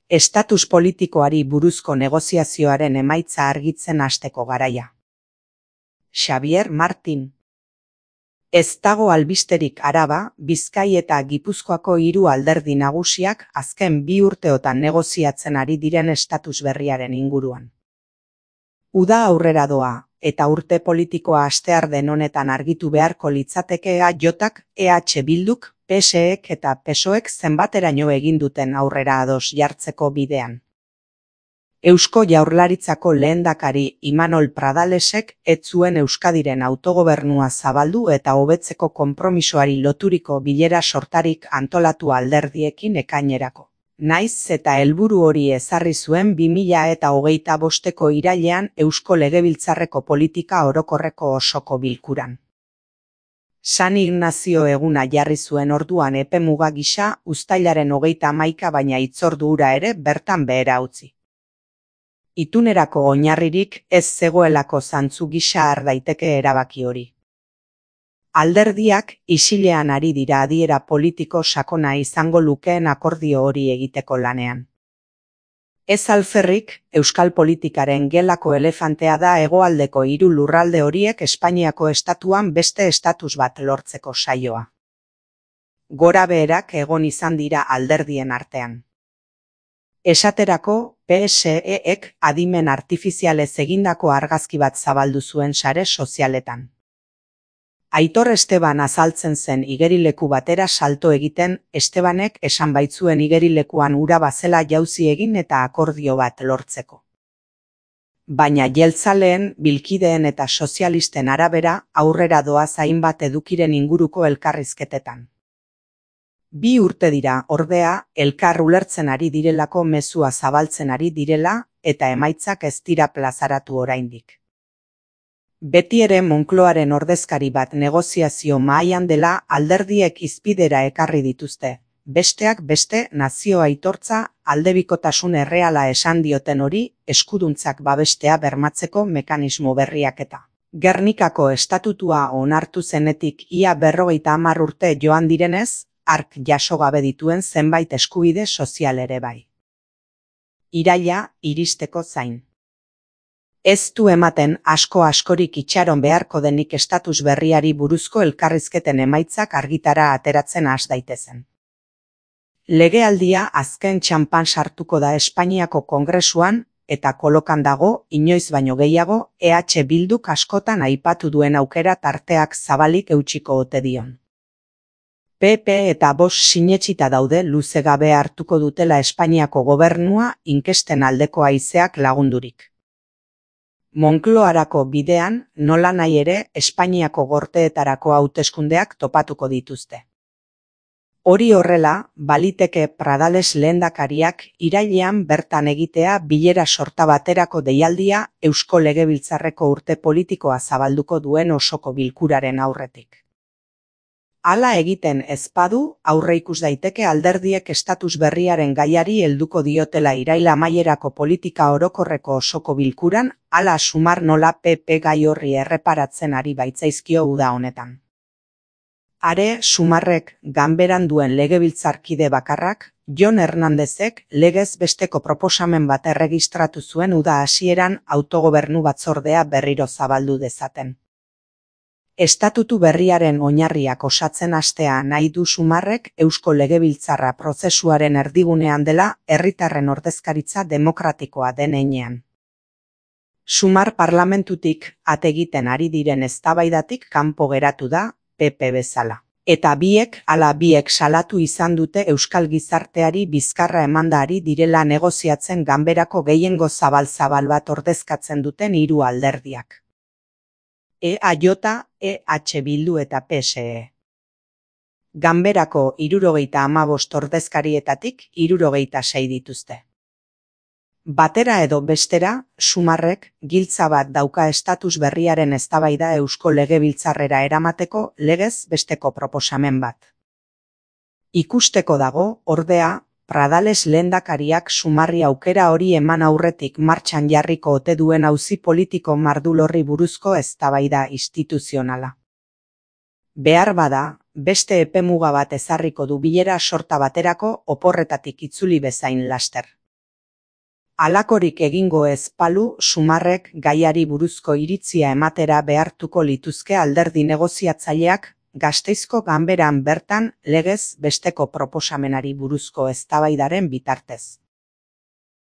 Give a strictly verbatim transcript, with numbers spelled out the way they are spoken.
Estatus politikoari buruzko negoziazioaren emaitza argitzen hasteko garaia. Xabier Martin. Ez dago albisterik Araba, Bizkai eta Gipuzkoako hiru alderdi nagusiak azken bi urteotan negoziatzen ari diren estatus berriaren inguruan. Uda aurrera doa, eta urte politikoa astear den honetan argitu beharko litzateke E Jk, E H Bilduk, P S Ek eta P S O Ek zenbateraino egin duten aurrera ados jartzeko bidean. Eusko Jaurlaritzako lehendakari Imanol Pradalesek ez zuen Euskadiren autogobernua zabaldu eta hobetzeko konpromisoari loturiko bilera sortarik antolatu alderdiekin ekainerako. Naiz eta helburu hori ezarri zuen bi mila eta hogeita bosteko irailean Eusko Legebiltzarreko politika orokorreko osoko bilkuran. San Ignazio eguna jarri zuen orduan epemuga gisa uztailaren hogeita hamaika baina hitzordu hura ere bertan behera utzi. Itunerako oinarririk ez zegoelako zantzu gisa har daiteke erabaki hori. Alderdiak isilean ari dira adiera politiko sakona izango lukeen akordio hori egiteko lanean. Ez alferrik, euskal politikaren gelako elefantea da hegoaldeko hiru lurralde horiek Espainiako estatuan beste estatus bat lortzeko saioa. Gora beherak egon izan dira alderdien artean. Esaterako, P S Ek adimen artifizialez egindako argazki bat zabaldu zuen sare sozialetan. Aitor Esteban azaltzen zen igerileku batera salto egiten, Estebanek esan baitzuen igerilekuan ura bazela jauzi egin eta akordio bat lortzeko. Baina jeltzaleen, bilkideen eta sozialisten arabera aurrera doaz hainbat edukiren inguruko elkarrizketetan. Bi urte dira, ordea, elkar ulertzen ari direlako mezua zabaltzen ari direla eta emaitzak ez dira plazaratu oraindik. Beti ere Moncloaren ordezkari bat negoziazio mahaian dela alderdiek hizpidera ekarri dituzte, besteak beste nazio aitortza aldebikotasun erreala esan dioten hori eskuduntzak babestea bermatzeko mekanismo berriak eta. Gernikako estatutua onartu zenetik ia berrogeita hamar urte joan direnez, hark jaso gabe dituen zenbait eskubide sozial ere bai. Iraila iristeko zain. Ez du ematen asko askorik itxaron beharko denik estatus berriari buruzko elkarrizketen emaitzak argitara ateratzen has daitezen. Legealdia azken txanpan sartuko da Espainiako Kongresuan eta kolokan dago, inoiz baino gehiago, E H Bilduk askotan aipatu duen aukera tarteak zabalik eutsiko ote dion. P P eta Vox sinetsita daude luze gabe hartuko dutela Espainiako gobernua inkesten aldeko haizeak lagundurik. Moncloarako bidean, nola nahi ere, Espainiako gorteetarako hauteskundeak topatuko dituzte. Hori horrela, baliteke Pradales lehendakariak irailean bertan egitea bilera sorta baterako deialdia Eusko Legebiltzarreko urte politikoa zabalduko duen osoko bilkuraren aurretik. Hala egiten ez badu, aurreikus daiteke alderdiek estatus berriaren gaiari helduko diotela iraila amaierako politika orokorreko osoko bilkuran, hala sumar nola P P gai horri erreparatzen ari baitzaizkio uda honetan. Are sumarrek ganberan duen legebiltzarkide bakarrak, Jon Hernandezek legez besteko proposamen bat erregistratu zuen uda hasieran autogobernu batzordea berriro zabaldu dezaten. Estatutu berriaren oinarriak osatzen hastea nahi du sumarrek Eusko Legebiltzarra prozesuaren erdigunean dela herritarren ordezkaritza demokratikoa den heinean. Sumar parlamentutik ategiten ari diren eztabaidatik kanpo geratu da, P P bezala. Eta biek ala biek salatu izan dute euskal gizarteari bizkarra emanda ari direla negoziatzen ganberako gehiengo zabal-zabal bat ordezkatzen duten hiru alderdiak. E J, E H Bildu eta P S E. Ganberako hirurogeita hamabost ordezkarietatik hirurogeita sei dituzte. Batera edo bestera, sumarrek giltza bat dauka estatus berriaren eztabaida Eusko Legebiltzarrera eramateko legez besteko proposamen bat. Ikusteko dago, ordea, Pradales lehendakariak sumarri aukera hori eman aurretik martxan jarriko ote duen auzi politiko mardulorri buruzko eztabaida instituzionala. Behar bada, beste epemuga bat ezarriko du bilera sorta baterako oporretatik itzuli bezain laster. Halakorik egingo ez balu, Sumarrek gaiari buruzko iritzia ematera behartuko lituzke alderdi negoziatzaileak Gasteizko ganberan bertan legez besteko proposamenari buruzko eztabaidaren bitartez.